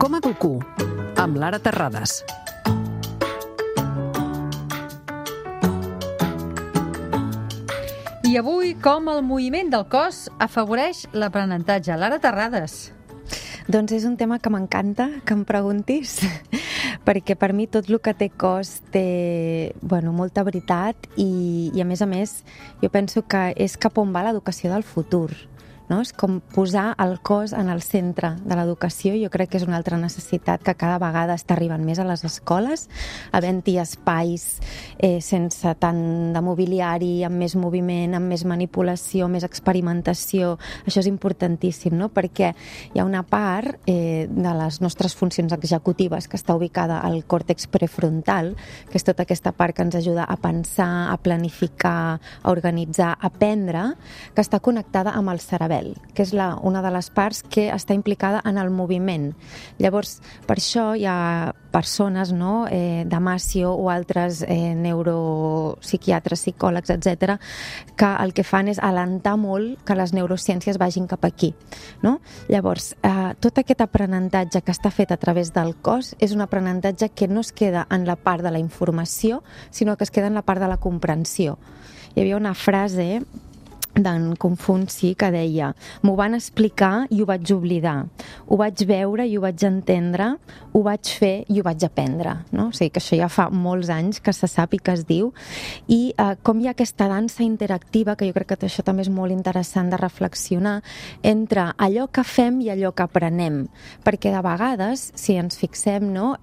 Com educo? Amb Lara Terrades. I avui, com el moviment del cos afavoreix l'aprenentatge? Lara Terrades. Doncs és un tema que m'encanta que em preguntis, perquè per mi tot el que té cos té molta veritat i a més, jo penso que és cap on va l'educació del futur. No? És com posar el cos en el centre de l'educació. Jo crec que és una altra necessitat que cada vegada està arribant més a les escoles, havent-hi espais sense tant de mobiliari, amb més moviment, amb més manipulació, més experimentació. Això és importantíssim, no? Perquè hi ha una part de les nostres funcions executives que està ubicada al còrtex prefrontal, que és tota aquesta part que ens ajuda a pensar, a planificar, a organitzar, a aprendre, que està connectada amb el cerebel, que és una de les parts que està implicada en el moviment. Llavors, per això hi ha persones, no, Damasio o altres neuropsiquiatres, psicòlegs, etc., que el que fan és alentar molt que les neurociències vagin cap aquí. No? Llavors, tot aquest aprenentatge que està fet a través del cos és un aprenentatge que no es queda en la part de la informació, sinó que es queda en la part de la comprensió. Hi havia una frase d'en Confuci que deia: m'ho van explicar i ho vaig oblidar, ho vaig veure i ho vaig entendre, ho vaig fer i ho vaig aprendre, no? O sigui que això ja fa molts anys que se sap i que es diu, i com hi ha aquesta dansa interactiva, que jo crec que això també és molt interessant de reflexionar, entre allò que fem i allò que aprenem, perquè de vegades, si ens fixem, no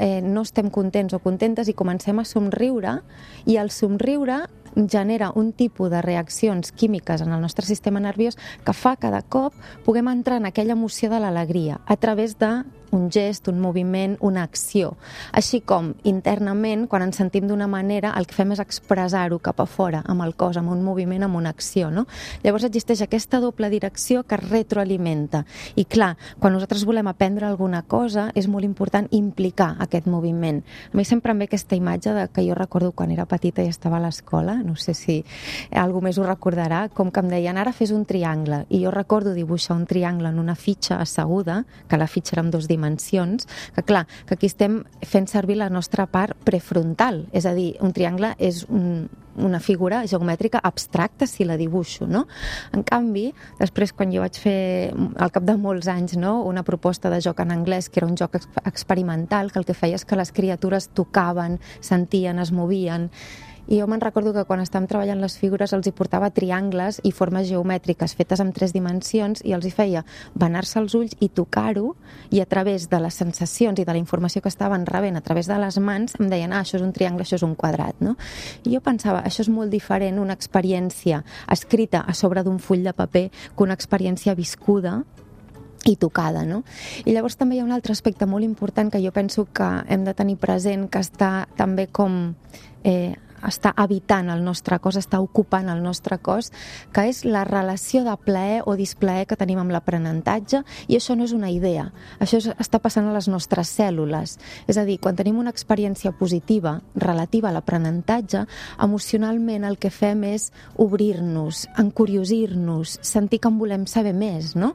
estem contents o contentes i comencem a somriure, i el somriure genera un tipus de reaccions químiques en el nostre sistema nerviós que fa que de cop puguem entrar en aquella emoció de l'alegria a través d'un gest, un moviment, una acció. Així com internament, quan ens sentim d'una manera, el que fem és expressar-ho cap a fora, amb el cos, amb un moviment, amb una acció, no? Llavors existeix aquesta doble direcció que retroalimenta. I clar, quan nosaltres volem aprendre alguna cosa, és molt important implicar aquest moviment. A mi sempre em ve aquesta imatge que jo recordo quan era petita i estava a l'escola, no sé si algú més ho recordarà, com que em deien, ara fes un triangle, i jo recordo dibuixar un triangle en una fitxa asseguda, que la fitxa era amb 2 dimensions, que clar, que aquí estem fent servir la nostra part prefrontal, és a dir, un triangle és una figura geomètrica abstracta si la dibuixo, no? En canvi, després quan jo vaig fer, al cap de molts anys, no, una proposta de joc en anglès, que era un joc experimental, que el que feia és que les criatures tocaven, sentien, es movien. I jo me'n recordo que quan estàvem treballant les figures els hi portava triangles i formes geomètriques fetes en 3 dimensions i els hi feia banar-se els ulls i tocar-ho, i a través de les sensacions i de la informació que estaven rebent a través de les mans em deien, això és un triangle, això és un quadrat, no? I jo pensava, això és molt diferent una experiència escrita a sobre d'un full de paper que una experiència viscuda i tocada, no? I llavors també hi ha un altre aspecte molt important que jo penso que hem de tenir present, que està també com està habitant el nostre cos, està ocupant el nostre cos, que és la relació de plaer o displaer que tenim amb l'aprenentatge, i això no és una idea, això està passant a les nostres cèl·lules. És a dir, quan tenim una experiència positiva relativa a l'aprenentatge, emocionalment el que fem és obrir-nos, encuriosir-nos, sentir que en volem saber més, no?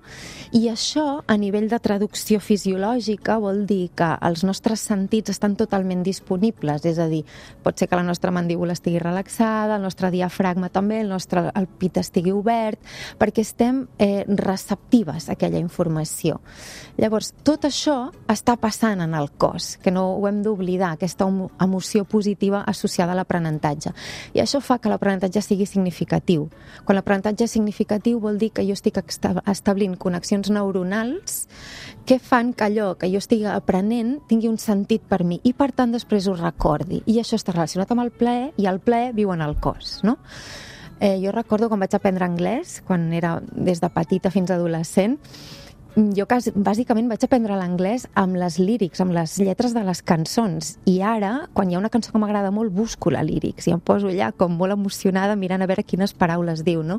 I això, a nivell de traducció fisiològica, vol dir que els nostres sentits estan totalment disponibles, és a dir, pot ser que la nostra mandíbula estigui relaxada, el nostre diafragma també, el pit estigui obert, perquè estem receptives a aquella informació. Llavors, tot això està passant en el cos, que no ho hem d'oblidar, aquesta emoció positiva associada a l'aprenentatge. I això fa que l'aprenentatge sigui significatiu. Quan l'aprenentatge és significatiu vol dir que jo estic establint connexions neuronals que fan que allò que jo estigui aprenent tingui un sentit per mi i, per tant, després ho recordi. I això està relacionat amb el plaer, i el plaer viu en el cos, no? Jo recordo quan vaig aprendre anglès, quan era des de petita fins a adolescent, jo bàsicament vaig aprendre l'anglès amb les lírics, amb les lletres de les cançons, i ara, quan hi ha una cançó que m'agrada molt, busco la lírics i em poso allà com molt emocionada mirant a veure quines paraules diu, no?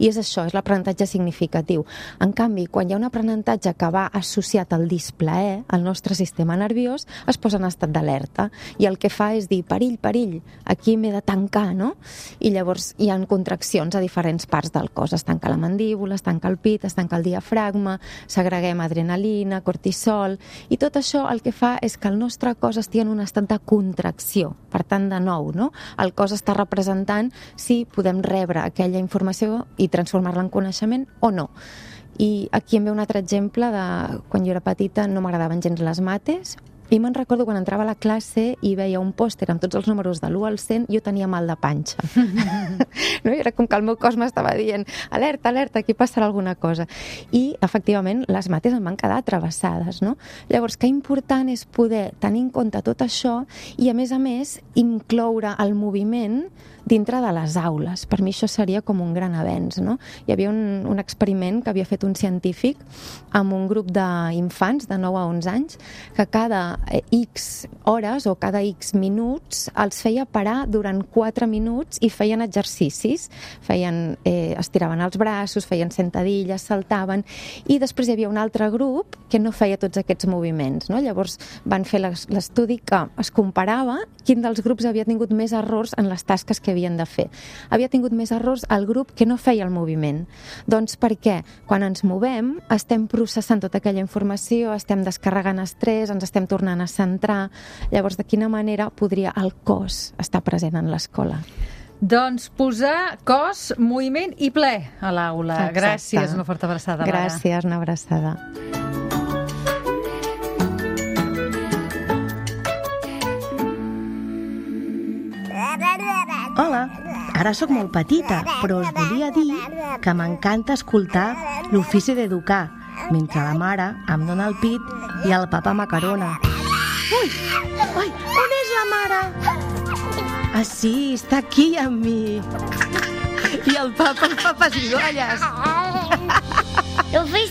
I és això, és l'aprenentatge significatiu. En canvi, quan hi ha un aprenentatge que va associat al displaer, el nostre sistema nerviós es posa en estat d'alerta, i el que fa és dir, perill, perill, aquí m'he de tancar, no? I llavors hi ha contraccions a diferents parts del cos, es tanca la mandíbula, es tanca el pit, es tanca el diafragma, segreguem adrenalina, cortisol, i tot això el que fa és que el nostre cos estigui en un estat de contracció. Per tant, de nou, no? El cos està representant si podem rebre aquella informació i transformar-la en coneixement o no. I aquí em ve un altre exemple de quan jo era petita no m'agradaven gens les mates, i me'n recordo quan entrava a la classe i veia un pòster amb tots els números de l'1 al 100, jo tenia mal de panxa. No? I era com que el meu cos m'estava dient alerta, alerta, aquí passarà alguna cosa. I, efectivament, les mates em van quedar travessades. No? Llavors, que important és poder tenir en compte tot això i, a més, incloure el moviment dintre de les aules. Per mi això seria com un gran avenç. No? Hi havia un experiment que havia fet un científic amb un grup d'infants de 9 a 11 anys que cada X hores o cada X minuts els feia parar durant 4 minuts i feien exercicis. Estiraven els braços, feien sentadilles, saltaven, i després hi havia un altre grup que no feia tots aquests moviments. No? Llavors van fer l'estudi que es comparava quin dels grups havia tingut més errors en les tasques que havien de fer. Havia tingut més errors el grup que no feia el moviment. Doncs perquè quan ens movem estem processant tota aquella informació, estem descarregant estrès, ens estem tornant a centrar. Llavors, de quina manera podria el cos estar present en l'escola? Doncs posar cos, moviment i ple a l'aula. Exacte. Gràcies, una forta abraçada, Lara. Gràcies, una abraçada. Hola, ara sóc molt petita, però us volia dir que m'encanta escoltar l'ofici d'educar, mentre la mare em dona el pit i el papa m'acarona. Ui! Ai, on és la mare? Ah, sí, està aquí amb mi. I el papa em fa pessigolles. L'ofici